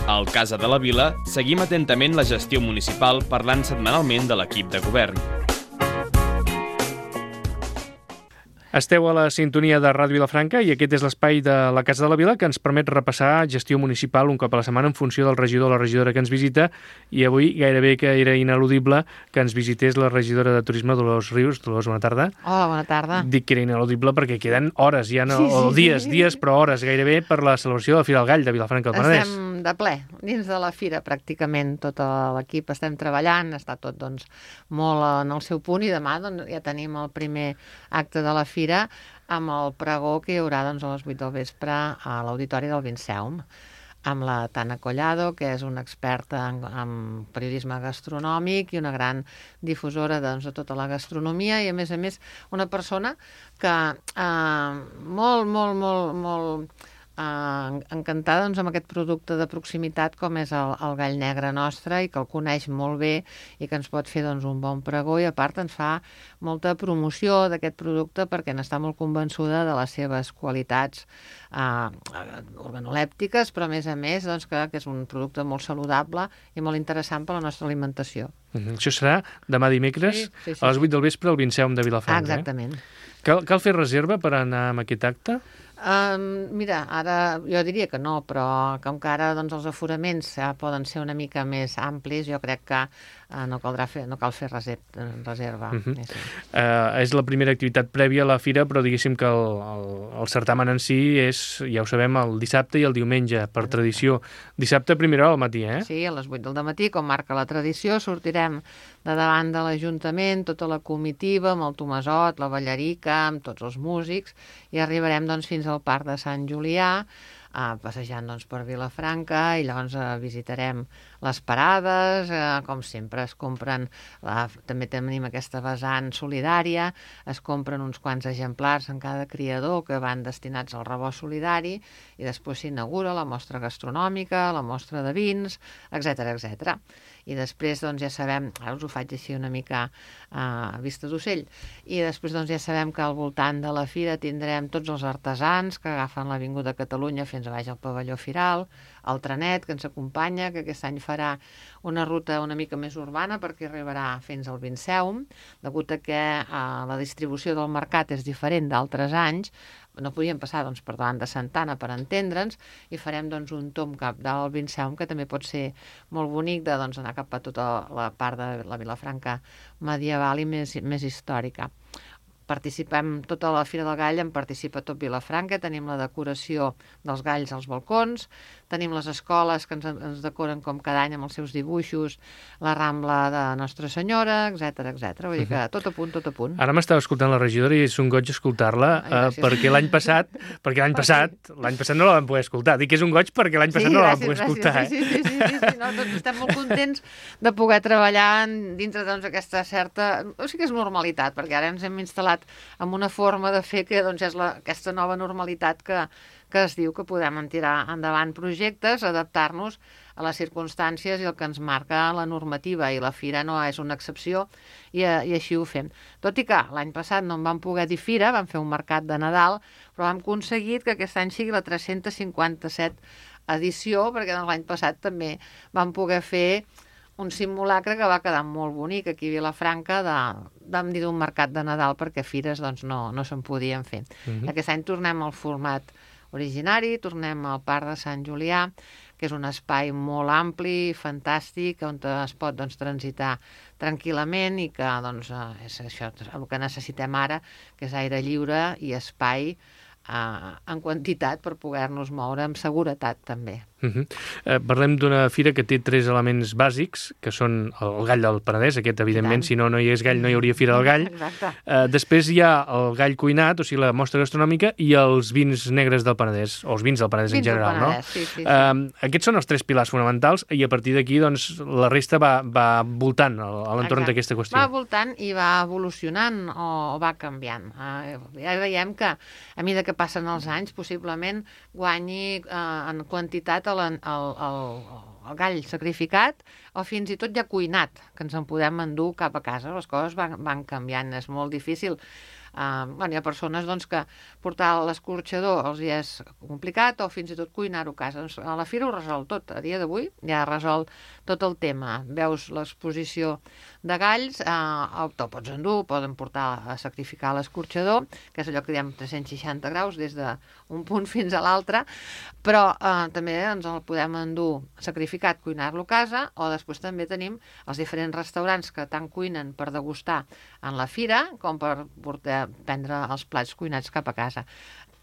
Al Casa de la Vila seguim atentament la gestió municipal parlant setmanalment de l'equip de govern. Esteu a la sintonia de Ràdio Vilafranca i aquest és l'espai de la Casa de la Vila que ens permet repassar gestió municipal un cop a la setmana en funció del regidor o la regidora que ens visita, i avui gairebé que era ineludible que ens visités la regidora de Turisme, Dolors Rius. Dolors, bona tarda. Hola, bona tarda. Dic que era ineludible perquè queden hores, ja no, o dies, però hores gairebé per la celebració de la Fira del Gall de Vilafranca del Penedès. Estem de ple, dins de la fira pràcticament tot l'equip estem treballant, està tot doncs, molt en el seu punt, i demà doncs, ja tenim el primer acte de la fira amb el pregó que hi haurà doncs, a les 8 del vespre a l'Auditori del Vinceum, amb la Tana Collado, que és una experta en periodisme gastronòmic i una gran difusora doncs, de tota la gastronomia, i a més una persona que molt encantada doncs, amb aquest producte de proximitat com és el gall negre nostre, i que el coneix molt bé i que ens pot fer doncs, un bon pregó, i a part ens fa molta promoció d'aquest producte perquè n'està molt convençuda de les seves qualitats organolèptiques, però a més doncs, que és un producte molt saludable i molt interessant per a la nostra alimentació. Això serà demà dimecres a les 8 del vespre al Vinceum de Vilafranca. Exactament. Cal fer reserva per anar amb aquest acte? Mira, ara jo diria que no, però com que ara doncs, els aforaments poden ser una mica més amplis, jo crec que no cal fer reserva. És la primera activitat prèvia a la fira, però diguéssim que el certamen en si és, ja ho sabem, el dissabte i el diumenge, per tradició. Dissabte a primera hora al matí, eh? Sí, a les 8 del matí, com marca la tradició, sortirem de davant de l'Ajuntament, tota la comitiva, amb el Tomasot, la Ballarica, amb tots els músics, i arribarem doncs, fins al Parc de Sant Julià, passejant doncs, per Vilafranca, i llavors visitarem les parades, com sempre es compren, també tenim aquesta vessant solidària, es compren uns quants exemplars en cada criador que van destinats al rebost solidari, i després s'inaugura la mostra gastronòmica, la mostra de vins, etc. I després doncs, ja sabem, ara us ho faig així una mica a vista d'ocell, i després doncs, ja sabem que al voltant de la fira tindrem tots els artesans que agafen l'Avinguda Catalunya fins a baix al pavelló firal, el trenet que ens acompanya, que aquest any farà una ruta una mica més urbana perquè arribarà fins al Vinceum, degut a que la distribució del mercat és diferent d'altres anys. No podíem passar doncs, per davant de Santa Anna per entendre'ns, i farem doncs, un tomb cap del Vinceum, que també pot ser molt bonic de doncs, anar cap a tota la part de la Vilafranca medieval i més històrica. Participem tota la Fira del Gall, en participa tot Vilafranca, tenim la decoració dels galls als balcons, tenim les escoles que ens decoren com cada any amb els seus dibuixos, la Rambla de Nostra Senyora, etc. Vull dir que tot a punt. Ara m'estava escoltant la regidora i és un goig escoltar-la, perquè l'any passat no la vam poder escoltar. Dic que és un goig perquè l'any passat no la vam poder escoltar. Sí, no, tots estem molt contents de poder treballar dintre d'aquesta certa... O sigui que és normalitat, perquè ara ens hem instal·lat amb una forma de fer que doncs, és aquesta nova normalitat que es diu que podem tirar endavant projectes, adaptar-nos a les circumstàncies i el que ens marca la normativa, i la fira no és una excepció, i així ho fem. Tot i que l'any passat no en vam poder dir fira, vam fer un mercat de Nadal, però hem aconseguit que aquest any sigui la 357 edició, perquè l'any passat també vam poder fer un simulacre que va quedar molt bonic aquí a Vilafranca, vam dir d'un mercat de Nadal, perquè fires doncs, no se'n podien fer. Aquest any tornem al format originari, tornem al Parc de Sant Julià, que és un espai molt ampli, fantàstic, on es pot doncs, transitar tranquil·lament, i que doncs, és això el que necessitem ara, que és aire lliure i espai en quantitat per poder-nos moure amb seguretat també. Parlem d'una fira que té 3 elements bàsics, que són el gall del Penedès, aquest evidentment, si no hi és gall no hi hauria fira del gall. Després hi ha el gall cuinat, o sigui la mostra gastronòmica, i els vins negres del Penedès, o els vins del Penedès en general, no? Sí. Aquests són els 3 pilars fonamentals, i a partir d'aquí doncs, la resta va voltant a l'entorn d'aquesta qüestió. Va voltant i va evolucionant o va canviant. Ja veiem que a mesura que passen els anys possiblement guanyi en quantitat el gall sacrificat, o fins i tot ja cuinat, que ens en podem endur cap a casa. Les coses van canviant, és molt difícil Hi ha persones doncs, que portar l'escorxador els hi és complicat o fins i tot cuinar-ho a casa. Doncs a la fira ho resol tot. A dia d'avui ja resol tot el tema. Veus l'exposició de galls, te'l pots endur, poden portar a sacrificar l'escorxador, que és allò que diem 360 graus des d'un punt fins a l'altre, però també ens el podem endur sacrificat, cuinar-lo a casa, o després també tenim els diferents restaurants que tant cuinen per degustar en la fira com per prendre els plats cuinats cap a casa.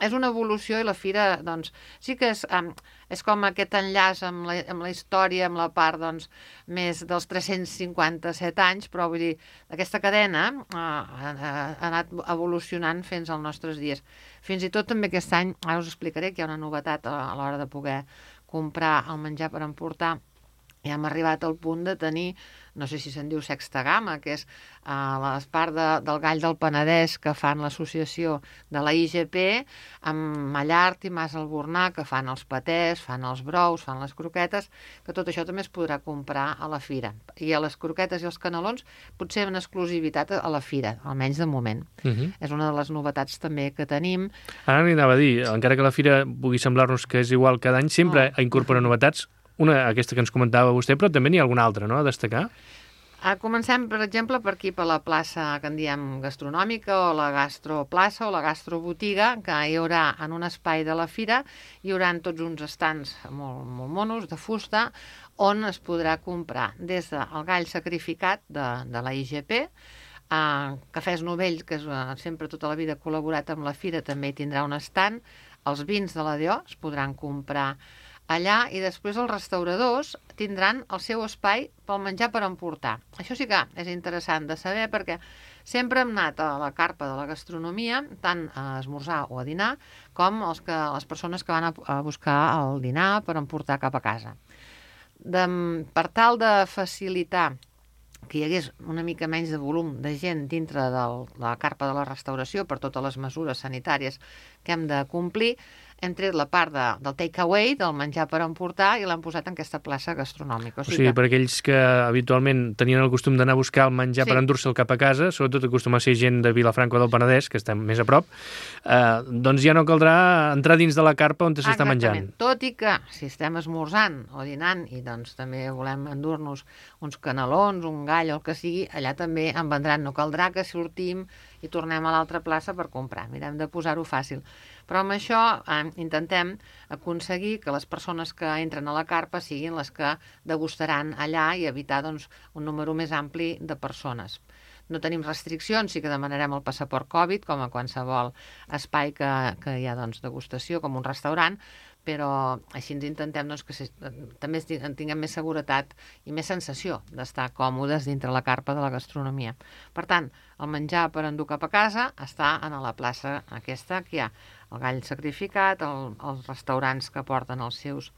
És una evolució i la fira, doncs, sí que és com aquest enllaç amb la història, amb la part, doncs, més dels 357 anys, però vull dir, aquesta cadena ha anat evolucionant fins als nostres dies. Fins i tot també aquest any, ara us explicaré que hi ha una novetat a l'hora de poder comprar el menjar per emportar. Ja hem arribat al punt de tenir, no sé si se'n diu sexta gamma, que és la part del gall del Penedès que fan l'associació de la IGP, amb Mallart i Mas Albornà, que fan els patés, fan els brous, fan les croquetes, que tot això també es podrà comprar a la fira. I a les croquetes i els canelons potser en exclusivitat a la fira, almenys de moment. És una de les novetats també que tenim. Ara n'hi anava a dir, encara que la fira pugui semblar-nos que és igual cada any, sempre incorpora novetats. Una, aquesta que ens comentava vostè, però també n'hi ha alguna altra, no?, a destacar. Comencem, per exemple, per aquí, per la plaça que en diem gastronòmica, o la gastroplaça, o la gastrobotiga, que hi haurà en un espai de la fira, hi haurà tots uns estants molt monos, de fusta, on es podrà comprar des del gall sacrificat de la IGP, Cafès Novell, que sempre tota la vida ha col·laborat amb la fira, també hi tindrà un estand, els vins de la DO es podran comprar allà, i després els restauradors tindran el seu espai pel menjar per emportar. Això sí que és interessant de saber, perquè sempre hem anat a la carpa de la gastronomia, tant a esmorzar o a dinar, com les persones que van a buscar el dinar per emportar cap a casa. Per tal de facilitar que hi hagués una mica menys de volum de gent dintre de la carpa de la restauració per totes les mesures sanitàries que hem de complir, hem tret la part del take-away, del menjar per emportar, i l'han posat en aquesta plaça gastronòmica. O sigui, per aquells que habitualment tenien el costum d'anar a buscar el menjar per endur-se'l cap a casa, sobretot acostuma a ser gent de Vilafranca o del Penedès, que estem més a prop, doncs ja no caldrà entrar dins de la carpa on s'està menjant. Tot i que, si estem esmorzant o dinant i doncs també volem endur-nos uns canelons, un gall o el que sigui, allà també en vendran. No caldrà que sortim i tornem a l'altra plaça per comprar. Mirem de posar-ho fàcil. Però amb això intentem aconseguir que les persones que entren a la carpa siguin les que degustaran allà i evitar doncs, un número més ampli de persones. No tenim restriccions, sí que demanarem el passaport Covid, com a qualsevol espai que hi ha doncs, degustació, com un restaurant, però així ens intentem doncs, que també tinguem més seguretat i més sensació d'estar còmodes dintre la carpa de la gastronomia. Per tant, el menjar per endur cap a casa està a la plaça aquesta, que hi ha el gall sacrificat, els restaurants que porten els seus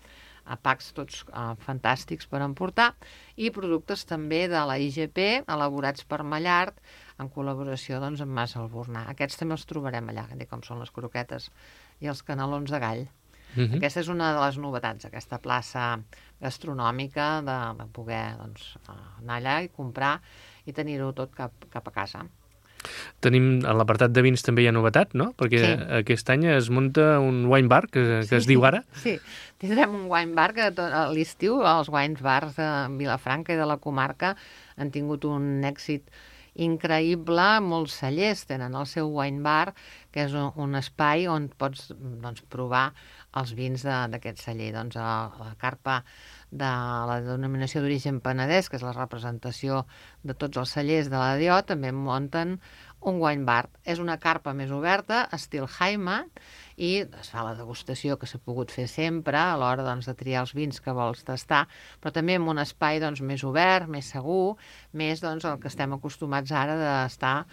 packs tots fantàstics per emportar, i productes també de la IGP, elaborats per Mallart, en col·laboració doncs, amb Mas Albornà. Aquests també els trobarem allà, com són les croquetes i els canelons de gall. Aquesta és una de les novetats, aquesta plaça gastronòmica, de poder anar allà i comprar i tenir-ho tot cap a casa. Tenim, en l'apartat de vins també hi ha novetat, no? Perquè aquest any es munta un wine bar, que es diu ara. Sí, tindrem un wine bar que a l'estiu els wine bars de Vilafranca i de la comarca han tingut un èxit increïble. Molts cellers tenen el seu wine bar, que és un espai on pots provar els vins d'aquest celler. Doncs a la carpa de la denominació d'origen Penedès, que és la representació de tots els cellers de la DO, també munten un wine bar. És una carpa més oberta, estil Jaime, i es fa la degustació que s'ha pogut fer sempre a l'hora de triar els vins que vols tastar, però també en un espai més obert, més segur, més el que estem acostumats ara d'estar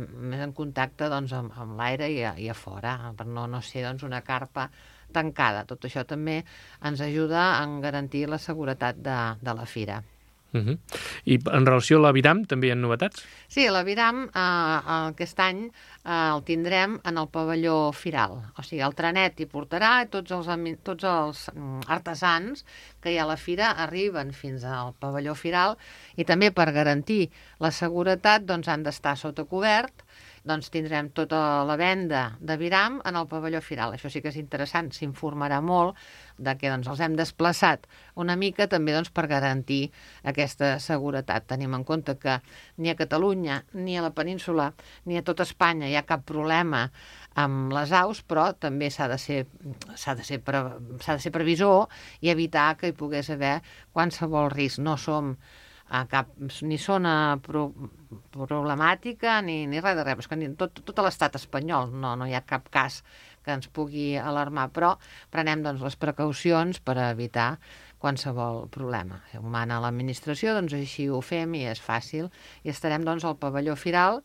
més en contacte amb l'aire i a fora, per no ser una carpa tancada. Tot això també ens ajuda a garantir la seguretat de la fira. I en relació a l'Aviram també hi ha novetats? Sí, l'Aviram aquest any el tindrem en el pavelló firal. O sigui, el trenet hi portarà, tots els artesans que hi ha a la fira arriben fins al pavelló firal, i també per garantir la seguretat han d'estar sota cobert doncs tindrem tota la venda d'Aviram en el pavelló firal. Això sí que és interessant, s'informarà molt de que doncs, els hem desplaçat una mica també doncs, per garantir aquesta seguretat. Tenim en compte que ni a Catalunya, ni a la península, ni a tot Espanya hi ha cap problema amb les aus, però també s'ha de ser previsor i evitar que hi pogués haver qualsevol risc. No som ni zona problemàtica ni res de res. És que tot l'estat espanyol no hi ha cap cas que ens pugui alarmar, però prenem doncs, les precaucions per evitar qualsevol problema. Si ho mana l'administració, doncs així ho fem i és fàcil. I estarem doncs, al pavelló firal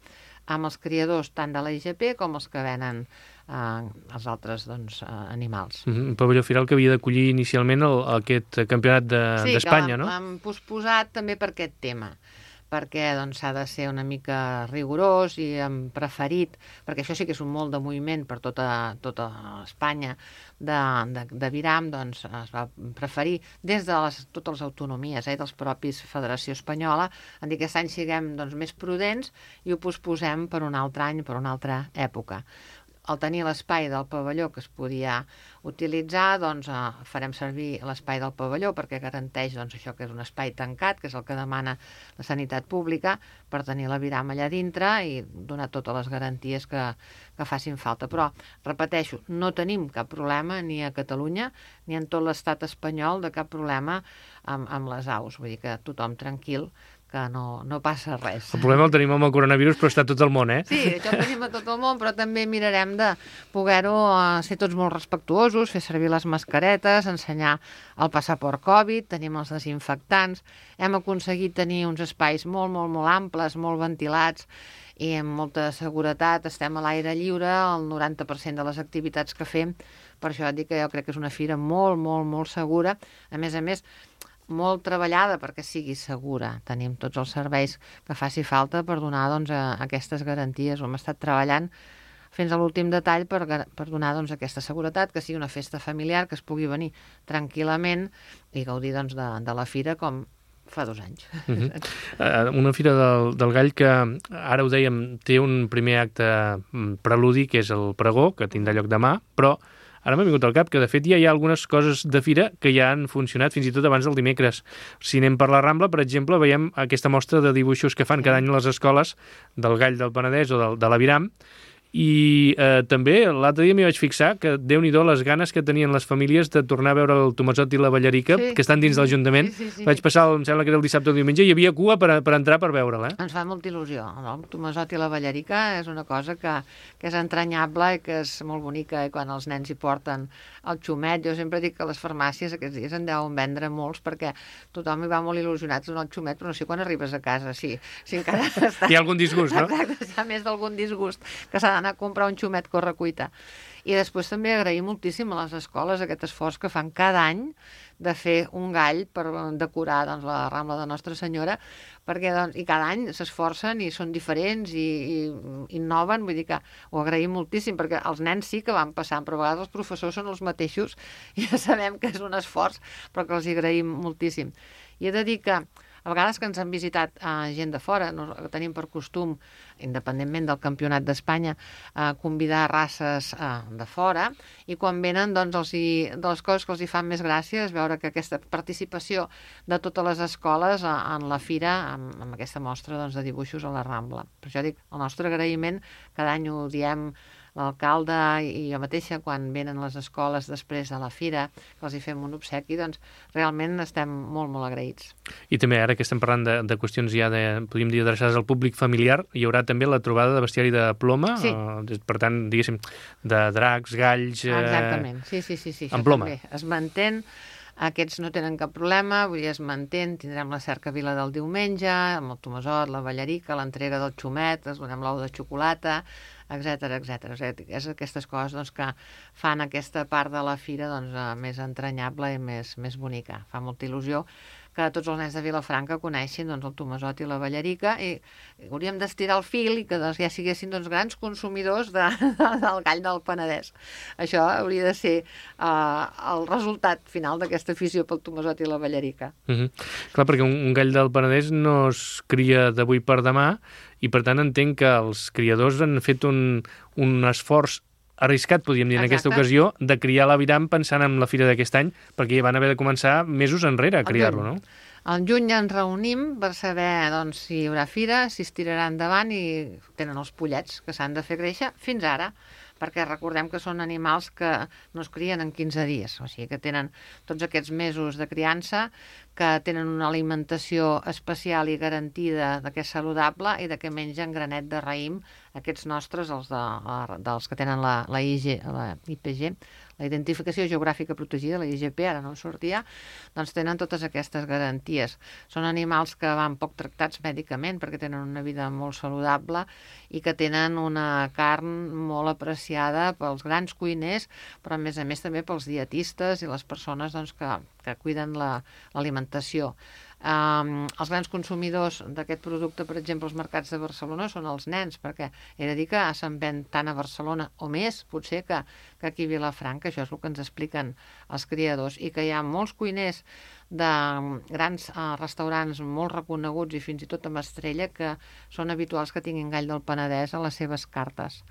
amb els criadors tant de la IGP com els que venen els altres animals. Un pavelló firal que havia d'acollir inicialment aquest campionat d'Espanya, no? Sí, que l'hem posposat també per aquest tema, perquè s'ha de ser una mica rigorós i hem preferit, perquè això sí que és un molt de moviment per tota Espanya d'Aviram, doncs es va preferir des de totes les autonomies dels propis Federació Espanyola, en dir que aquest any siguem més prudents i ho posposem per un altre any, per una altra època. Al tenir l'espai del pavelló que es podia utilitzar, farem servir l'espai del pavelló perquè garanteix això que és un espai tancat, que és el que demana la sanitat pública, per tenir l'Aviram allà dintre i donar totes les garanties que facin falta. Però, repeteixo, no tenim cap problema ni a Catalunya ni en tot l'estat espanyol de cap problema amb les aus. Vull dir que tothom tranquil, que no passa res. El problema el tenim amb el coronavirus, però està tot el món, Sí, això ho tenim a tot el món, però també mirarem de poder-ho ser tots molt respectuosos, fer servir les mascaretes, ensenyar el passaport Covid, tenim els desinfectants, hem aconseguit tenir uns espais molt, molt, molt amples, molt ventilats i amb molta seguretat, estem a l'aire lliure, el 90% de les activitats que fem, per això dic que jo crec que és una fira molt, molt, molt segura, a més, molt treballada perquè sigui segura. Tenim tots els serveis que faci falta per donar aquestes garanties. Hem estat treballant fins a l'últim detall per donar aquesta seguretat, que sigui una festa familiar, que es pugui venir tranquil·lament i gaudir de la fira com fa 2 anys. Una fira del Gall que, ara ho dèiem, té un primer acte preludi, que és el pregó, que tindrà lloc demà, però ara m'ha vingut al cap que, de fet, ja hi ha algunes coses de fira que ja han funcionat fins i tot abans del dimecres. Si anem per la Rambla, per exemple, veiem aquesta mostra de dibuixos que fan cada any a les escoles del Gall del Penedès o de l'Aviram, i també l'altre dia m'hi vaig fixar que Déu-n'hi-do les ganes que tenien les famílies de tornar a veure el Tomesot i la Ballarica, que estan dins de l'Ajuntament. Sí. Vaig passar, em sembla que era el dissabte o el diumenge, i hi havia cua per entrar per veure'l. Ens fa molta il·lusió. El Tomesot i la Ballarica és una cosa que és entranyable i que és molt bonica, i quan els nens hi porten el xumet, jo sempre dic que les farmàcies aquests dies en deuen vendre molts perquè tothom hi va molt il·lusionat amb el xumet, però no sé quan arribes a casa, si encara està... Hi ha algun disgust, no? Exacte, hi ha més d'algun disgust, que s'ha d'anar a comprar un xumet correcuita. I després també agrair moltíssim a les escoles aquest esforç que fan cada any de fer un gall per decorar la Rambla de Nostra Senyora, perquè i cada any s'esforcen i són diferents i innoven, vull dir que ho agraïm moltíssim, perquè els nens sí que van passant, però a vegades els professors són els mateixos, i ja sabem que és un esforç, però que els hi agraïm moltíssim. I he de dir que a vegades que ens han visitat gent de fora, tenim per costum, independentment del Campionat d'Espanya, convidar races de fora, i quan venen, de les coses que els hi fan més gràcia és veure que aquesta participació de totes les escoles en la fira, amb aquesta mostra de dibuixos a la Rambla. Per això dic, el nostre agraïment, cada any ho diem l'alcalde i jo mateixa, quan venen les escoles després de la fira, que els hi fem un obsequi, realment estem molt, molt agraïts. I també, ara que estem parlant de qüestions ja podríem dir, adreçades al públic familiar, hi haurà també la trobada de bestiari de ploma, sí. Per tant, diguéssim, de dracs, galls... Exactament, sí. En ploma. També es mantén, aquests no tenen cap problema, vull dir, es mantén, tindrem la cercavila del diumenge, amb el Tomesot, la Ballarica, l'entrega del xumet, es donem l'ou de xocolata, etcètera. És aquestes coses que fan aquesta part de la fira més entranyable i més bonica. Fa molta il·lusió que tots els nens de Vilafranca coneixin doncs, el Tomàsot i la Ballarica, i hauríem d'estirar el fil i que doncs, ja siguessin doncs, grans consumidors del gall del Penedès. Això hauria de ser el resultat final d'aquesta afició pel Tomàsot i la Ballarica. Clar, perquè un gall del Penedès no es cria d'avui per demà i per tant entenc que els criadors han fet un esforç arriscat, podríem dir, en aquesta ocasió, de criar l'aviram pensant en la fira d'aquest any, perquè ja van haver de començar mesos enrere a criar-lo, no? Al juny ens reunim per saber doncs, si hi haurà fira, si es tirarà endavant i tenen els pollets que s'han de fer créixer fins ara, perquè recordem que són animals que no es crien en 15 dies, o sigui que tenen tots aquests mesos de criança, que tenen una alimentació especial i garantida de que és saludable i de que mengen granet de raïm, aquests nostres, dels que tenen la IPG, la Identificació Geogràfica Protegida, la IGP, ara no en sortia, doncs tenen totes aquestes garanties. Són animals que van poc tractats mèdicament perquè tenen una vida molt saludable i que tenen una carn molt apreciada pels grans cuiners, però a més també pels dietistes i les persones doncs, que cuiden l'alimentació. Els grans consumidors d'aquest producte, per exemple, als mercats de Barcelona, són els nens, perquè he de dir que se'n ven tant a Barcelona o més, potser que aquí a Vilafranca, això és el que ens expliquen els criadors, i que hi ha molts cuiners de grans restaurants molt reconeguts i fins i tot amb estrella que són habituals que tinguin gall del Penedès a les seves cartes.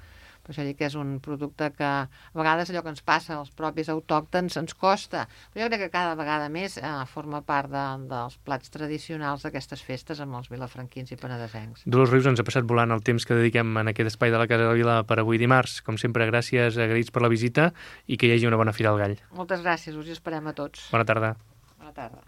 Per això dic que és un producte que a vegades allò que ens passa als propis autòctons ens costa, però jo crec que cada vegada més forma part dels plats tradicionals d'aquestes festes amb els vilafranquins i penedesencs. Dolors Rius, ens ha passat volant el temps que dediquem en aquest espai de la Casa de la Vila per avui dimarts. Com sempre, gràcies, agraïts per la visita i que hi hagi una bona Fira al Gall. Moltes gràcies, us hi esperem a tots. Bona tarda. Bona tarda.